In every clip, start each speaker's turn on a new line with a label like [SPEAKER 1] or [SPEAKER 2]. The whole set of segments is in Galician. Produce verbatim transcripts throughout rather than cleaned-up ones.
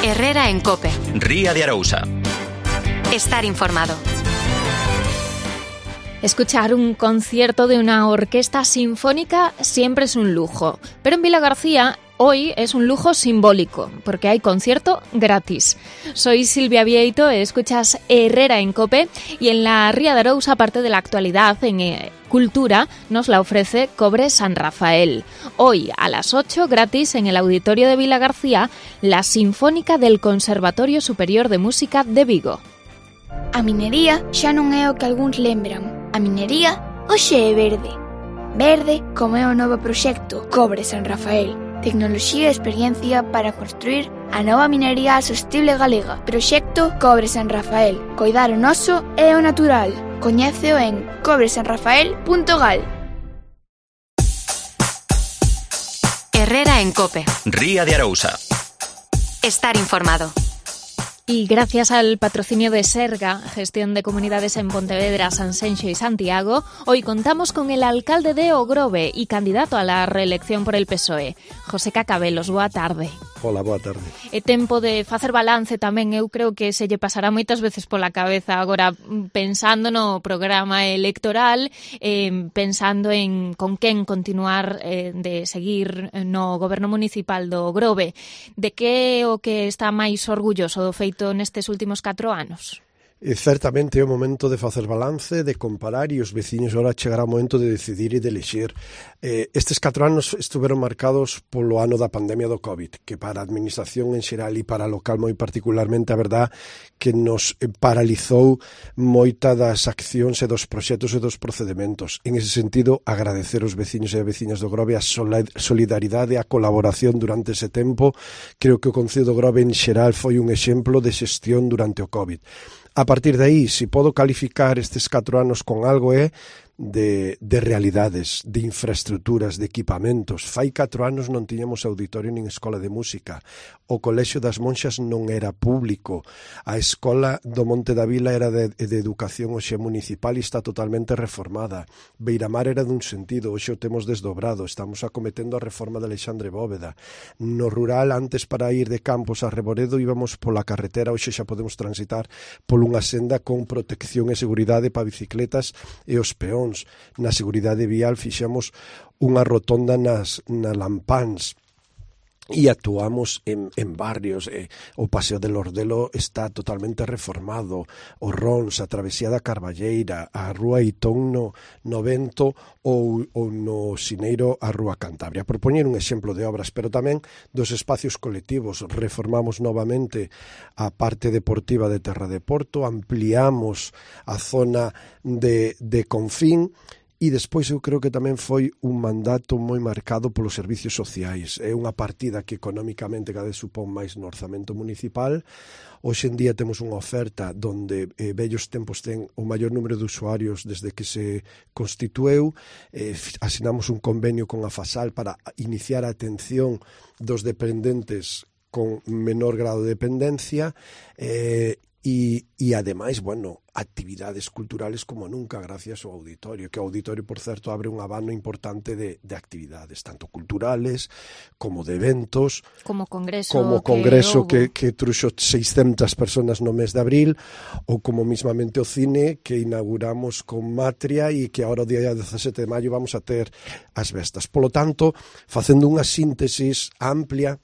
[SPEAKER 1] Herrera en COPE.
[SPEAKER 2] Ría de Arousa.
[SPEAKER 1] Estar informado.
[SPEAKER 3] Escuchar un concierto de una orquesta sinfónica siempre es un lujo, pero en Vilagarcía hoy es un lujo simbólico, porque hay concierto gratis. Soy Silvia Vieito, escuchas Herrera en COPE y en la Ría de Arousa, parte de la actualidad en eh, cultura, nos la ofrece Cobre San Rafael. Hoy a las ocho, gratis en el auditorio de Vilagarcía, la Sinfónica del Conservatorio Superior de Música de Vigo.
[SPEAKER 4] A minería xa non é o que algúns lembran. A minería hoxe é verde. Verde como é o novo proxecto Cobre San Rafael. Tecnoloxía e experiencia para construir a nova minería sostible galega. Proxecto Cobre San Rafael. Coidar o noso e o natural. Coñéceo en cobre san rafael punto gal.
[SPEAKER 1] Herrera en COPE.
[SPEAKER 2] Ría de Arousa.
[SPEAKER 1] Estar informado.
[SPEAKER 3] Y gracias al patrocinio de Serga, Gestión de Comunidades en Pontevedra, Sanxenxo y Santiago, hoy contamos con el alcalde de Ogrove y candidato a la reelección por el P S O E, José Cacabelos. Boa tarde.
[SPEAKER 5] Hola, boa tarde.
[SPEAKER 3] É tempo de facer balance tamén, eu creo que se lle pasará moitas veces pola cabeza agora pensando no programa electoral, eh, pensando en con quen continuar eh, de seguir no goberno municipal do Ogrove. De que o que está máis orgulloso do feito nestes últimos catro anos?
[SPEAKER 5] E certamente é o momento de facer balance, de comparar, e os veciños agora chegará o momento de decidir e de elexir. Eh, estes catro anos estuveron marcados polo ano da pandemia do COVID, que para a administración en xeral e para a local moi particularmente, a verdad, que nos paralizou moita das accións e dos proxectos e dos procedementos. En ese sentido, agradecer aos veciños e veciñas do Grove a solidaridade e a colaboración durante ese tempo. Creo que o Concello do Grove en xeral foi un exemplo de xestión durante o COVID. A partir de aí, se podo calificar estes catro anos con algo é de, de realidades, de infraestructuras, de equipamentos. Fai catro anos non tiñamos auditorio nin escola de música. O Colexio das Monxas non era público. A escola do Monte da Vila era de, de educación hoxe municipal e está totalmente reformada. Beiramar era dun sentido, hoxe o temos desdobrado. Estamos acometendo a reforma de Alexandre Bóveda. No rural, antes para ir de Campos a Reboredo íbamos pola carretera, hoxe xa podemos transitar por unha senda con protección e seguridade para bicicletas e os peóns. Na seguridade vial fixemos unha rotonda nas na Lampáns e actuamos en, en barrios. Eh, o Paseo del Ordelo está totalmente reformado, o Rons, a Travesía da Carballeira, a Rúa Itón no, no Vento ou, ou no Sineiro a Rúa Cantabria. Por poñer un exemplo de obras, pero tamén dos espacios colectivos. Reformamos novamente a parte deportiva de Terra de Porto, ampliamos a zona de, de Confín. E despois eu creo que tamén foi un mandato moi marcado polos servicios sociais. É unha partida que económicamente cada vez supón máis no orzamento municipal. Hoxe en día temos unha oferta donde eh, vellos tempos ten o maior número de usuarios desde que se constitueu. Eh, asinamos un convenio con a Fasal para iniciar a atención dos dependentes con menor grado de dependencia eh, E, e ademais, bueno, actividades culturales como nunca gracias ao auditorio, que o auditorio, por certo, abre un abano importante de, de actividades, tanto culturales como de eventos,
[SPEAKER 3] como congreso,
[SPEAKER 5] como congreso que, que, que truxo seiscentas personas no mes de abril, ou como mismamente o cine que inauguramos con Matria e que agora o día dezasete de maio vamos a ter as vestas. Polo tanto, facendo unha síntesis amplia,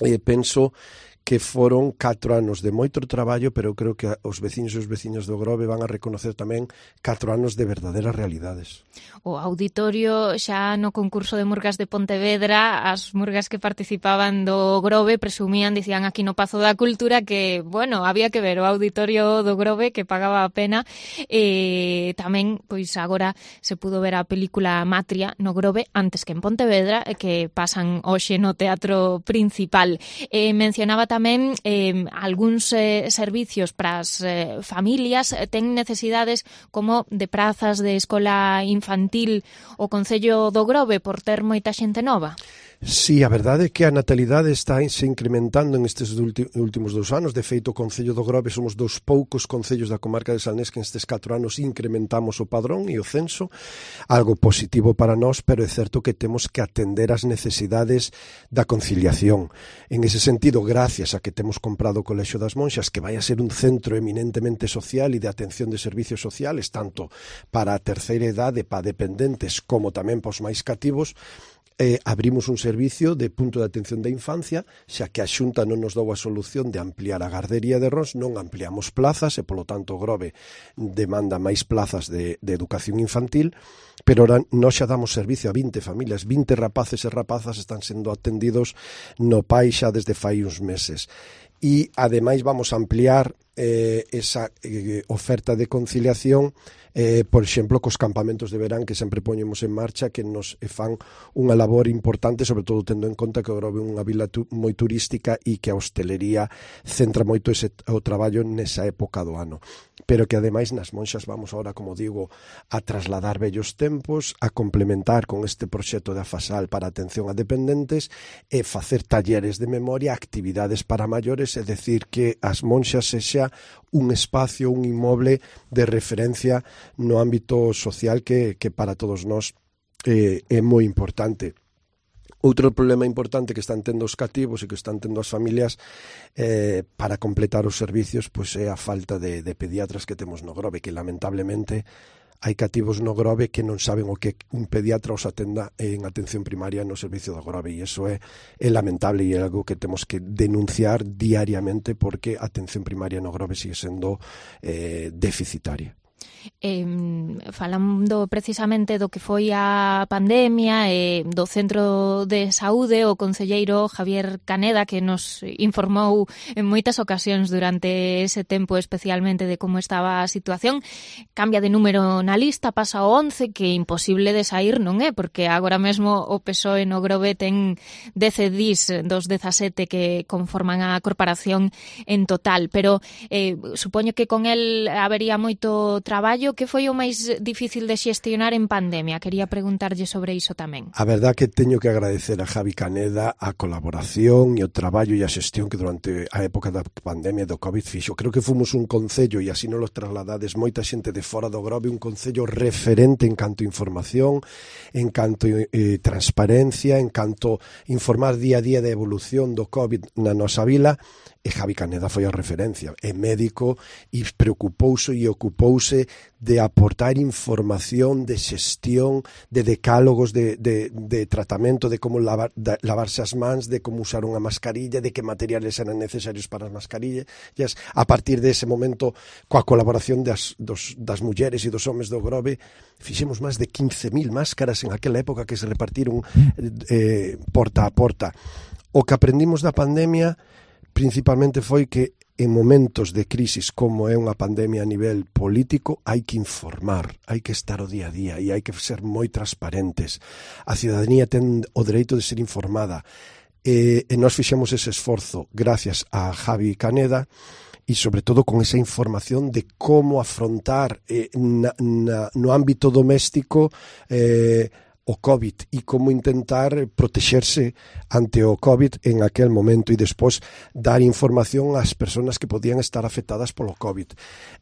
[SPEAKER 5] eh, penso que foron catro anos de moito traballo, pero eu creo que os veciños e os veciños do Grove van a reconocer tamén catro anos de verdadeiras realidades.
[SPEAKER 3] O auditorio xa no concurso de murgas de Pontevedra, as murgas que participaban do Grove presumían, dicían aquí no Pazo da Cultura que, bueno, había que ver o auditorio do Grove que pagaba a pena. E tamén, pois agora se pudo ver a película Matria no Grove antes que en Pontevedra, que pasan hoxe no Teatro Principal. E mencionaba tamén eh, algúns eh, servicios para as eh, familias eh, ten necesidades como de prazas de escola infantil o Concello do Grove por ter moita xente nova.
[SPEAKER 5] Sí, a verdade é que a natalidade está se incrementando en estes últimos dous anos. De feito, o Concello do Grove somos dos poucos concellos da comarca de Salnés que nestes catro anos incrementamos o padrón e o censo, algo positivo para nós, pero é certo que temos que atender as necesidades da conciliación. En ese sentido, gracias a que temos comprado o Colexio das Monxas, que vai a ser un centro eminentemente social e de atención de servicios sociales, tanto para a terceira idade, para dependentes, como tamén para os máis cativos, Eh, abrimos un servicio de punto de atención da infancia, xa que a Xunta non nos dou a solución de ampliar a gardería de Rons, non ampliamos plazas e, polo tanto, o Grove demanda máis plazas de, de educación infantil, pero ahora nós xa damos servicio a vinte familias, vinte rapaces e rapazas están sendo atendidos no P A I xa desde fai uns meses. E, ademais, vamos a ampliar eh, esa eh, oferta de conciliación, eh, por exemplo, cos campamentos de verán que sempre poñemos en marcha, que nos fan unha labor importante, sobre todo tendo en conta que o Grove é unha vila tu, moi turística e que a hostelería centra moito ese, o traballo nesa época do ano. Pero que, ademais, nas Monxas vamos ahora, como digo, a trasladar vellos tempos, a complementar con este proxecto de Afasal para atención a dependentes e facer talleres de memoria, actividades para maiores, é dicir, que as Monxas sexa un espacio, un inmoble de referencia no ámbito social que, que para todos nós eh, é moi importante. Outro problema importante que están tendo os cativos e que están tendo as familias eh, para completar os servicios pois é a falta de, de pediatras que temos no Grove, que lamentablemente hai cativos no Grove que non saben o que un pediatra os atenda en atención primaria no servicio do Grove, e iso é, é lamentable e é algo que temos que denunciar diariamente, porque a atención primaria no Grove sigue sendo eh, deficitaria.
[SPEAKER 3] Eh, falando precisamente do que foi a pandemia e eh, do Centro de Saúde, o concelleiro Javier Caneda, que nos informou en moitas ocasións durante ese tempo, especialmente de como estaba a situación, cambia de número na lista, pasa ao once, que é imposible de sair, non é? Porque agora mesmo o P S O E no Grove ten dez dís dos dezasete que conforman a corporación en total, pero eh, supoño que con el habería moito traballo. Que foi o máis difícil de xestionar en pandemia? Quería preguntarlle sobre iso tamén.
[SPEAKER 5] A verdad que teño que agradecer a Javi Caneda a colaboración e o traballo e a xestión que durante a época da pandemia do COVID fixo. Creo que fomos un concello, e así non los trasladades moita xente de fora do Grove, un concello referente en canto a información, en canto a eh, transparencia, en canto a informar día a día da evolución do COVID na nosa vila. E Javi Caneda foi a referencia, é médico e preocupouse e ocupouse de aportar información de xestión, de decálogos de, de, de tratamento, de como lavar, de, lavarse as mans, de como usar unha mascarilla, de que materiales eran necesarios para as mascarillas. A partir dese momento, coa colaboración das, dos, das mulleres e dos homes do Grove, fixemos máis de quince mil máscaras en aquela época que se repartiron eh, porta a porta. O que aprendimos da pandemia principalmente foi que en momentos de crisis como é unha pandemia a nivel político hai que informar, hai que estar o día a día e hai que ser moi transparentes. A ciudadanía ten o dereito de ser informada e, e nós fixemos ese esforzo gracias a Javi Caneda e sobre todo con esa información de como afrontar eh, na, na, no ámbito doméstico eh, o COVID e como intentar protexerse ante o COVID en aquel momento e despois dar información ás persoas que podían estar afectadas polo COVID,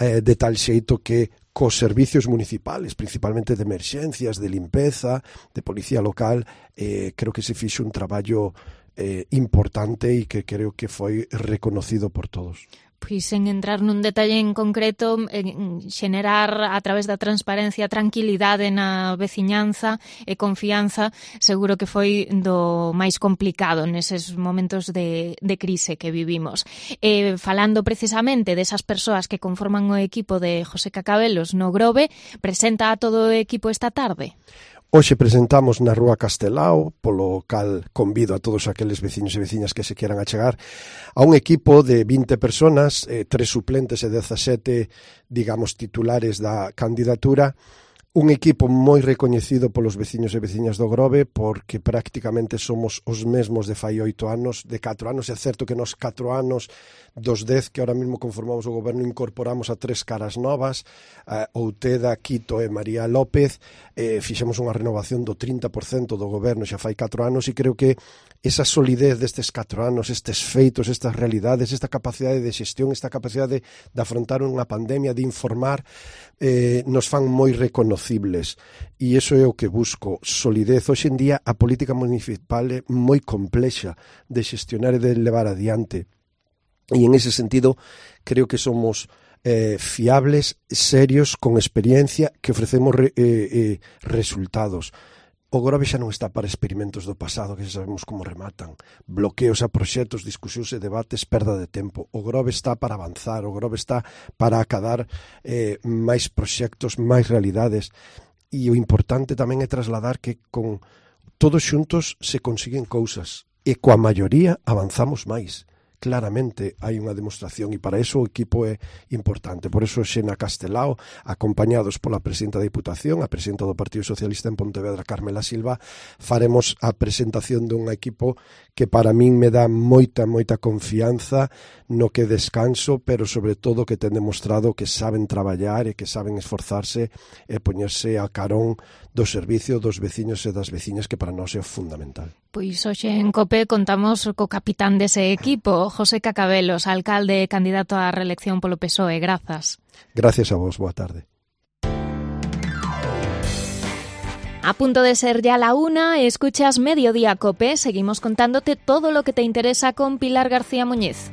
[SPEAKER 5] eh, de tal xeito que cos servicios municipales, principalmente de emerxencias, de limpeza, de policía local, eh, creo que se fixo un traballo eh, importante e que creo que foi reconocido por todos.
[SPEAKER 3] Pois en entrar nun detalle en concreto, en xenerar a través da transparencia tranquilidade na veciñanza e confianza, seguro que foi do máis complicado neses momentos de, de crise que vivimos. E falando precisamente desas persoas que conforman o equipo de José Cacabelos no Grove, presenta a todo o equipo esta tarde.
[SPEAKER 5] Hoxe presentamos na Rúa Castelao, polo cal convido a todos aqueles veciños e veciñas que se quieran achegar a un equipo de vinte personas, eh, tres suplentes e dezasete, digamos, titulares da candidatura, un equipo moi recoñecido polos veciños e veciñas do Grove, porque prácticamente somos os mesmos de fai oito anos, de catro anos. É certo que nos catro anos dos dez que ahora mesmo conformamos o goberno incorporamos a tres caras novas, a Outeda, Quito e María López, eh, fixemos unha renovación do trinta por cento do goberno xa fai catro anos, e creo que esa solidez destes catro anos, estes feitos, estas realidades, esta capacidade de xestión, esta capacidade de afrontar unha pandemia, de informar, eh, nos fan moi reconocibles, e iso é o que busco, solidez. Hoxe en día a política municipal é moi complexa de xestionar e de levar adiante, e en ese sentido creo que somos eh, fiables, serios, con experiencia, que ofrecemos re, eh, eh, resultados. O Grove xa non está para experimentos do pasado que xa sabemos como rematan, bloqueos a proxectos, discusións e debates, perda de tempo. O Grove está para avanzar, o Grove está para acadar eh, máis proxectos, máis realidades, e o importante tamén é trasladar que con todos xuntos se consiguen cousas, e coa maioría avanzamos máis. Claramente hai unha demostración, e para iso o equipo é importante. Por iso Xena Castelao, acompañados pola presidenta da Diputación, a presidenta do Partido Socialista en Pontevedra, Carmela Silva, faremos a presentación dun equipo que para min me dá moita, moita confianza, no que descanso, pero sobre todo que ten demostrado que saben traballar e que saben esforzarse e poñerse a carón do servicio dos veciños e das veciñas, que para nós é fundamental.
[SPEAKER 3] Pois hoxe en COPE contamos co capitán dese equipo, José Cacabelos, alcalde e candidato á reelección polo P S O E. Grazas.
[SPEAKER 5] Gracias a vos, boa tarde.
[SPEAKER 3] A punto de ser ya la una, escuchas Mediodía COPE. Seguimos contándote todo lo que te interesa con Pilar García Muñiz.